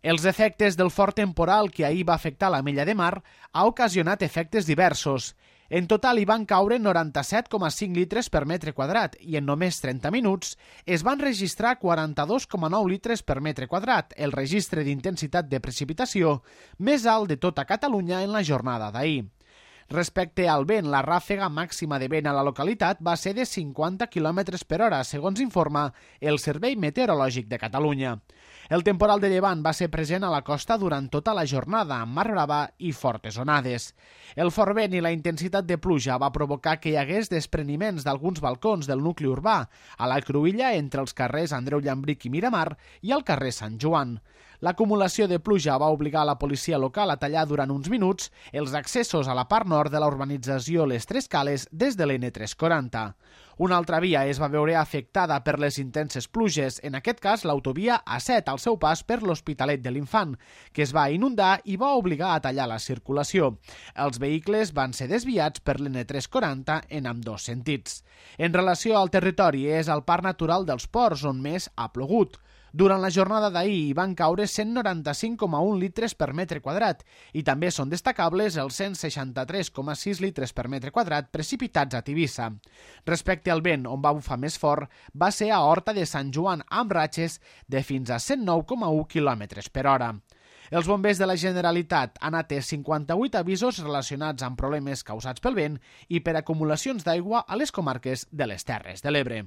Els efectes del fort temporal que ahir va afectar l'Ametlla de Mar ha ocasionat efectes diversos. En total hi van caure 97,5 litres per metre quadrat i en només 30 minuts es van registrar 42,9 litres per metre quadrat, el registre d'intensitat de precipitació més alt de tota Catalunya en la jornada d'ahir. Respecte al vent, la ràfega màxima de vent a la localitat va ser de 50 km per hora, segons informa el Servei Meteorològic de Catalunya. El temporal de llevant va ser present a la costa durant tota la jornada, amb mar brava i fortes onades. El fort vent i la intensitat de pluja va provocar que hi hagués despreniments d'alguns balcons del nucli urbà, a la cruïlla entre els carrers Andreu Llambric i Miramar i al carrer Sant Joan. L'acumulació de pluja va obligar la policia local a tallar durant uns minuts els accessos a la part nord de la urbanització Les Tres Cales des de l'N340. Una altra via es va veure afectada per les intenses pluges, en aquest cas l'autovia A7 al seu pas per l'Hospitalet de l'Infant, que es va inundar i va obligar a tallar la circulació. Els vehicles van ser desviats per l'N340 en ambdós sentits. En relació al territori, és al Parc Natural dels Ports on més ha plogut. Durant la jornada d'ahir hi van caure 195,1 litres per metre quadrat i també són destacables els 163,6 litres per metre quadrat precipitats a Tivissa. Respecte al vent, on va bufar més fort, va ser a Horta de Sant Joan amb ratxes de fins a 109,1 km per hora. Els bombers de la Generalitat han atès 58 avisos relacionats amb problemes causats pel vent i per acumulacions d'aigua a les comarques de les Terres de l'Ebre.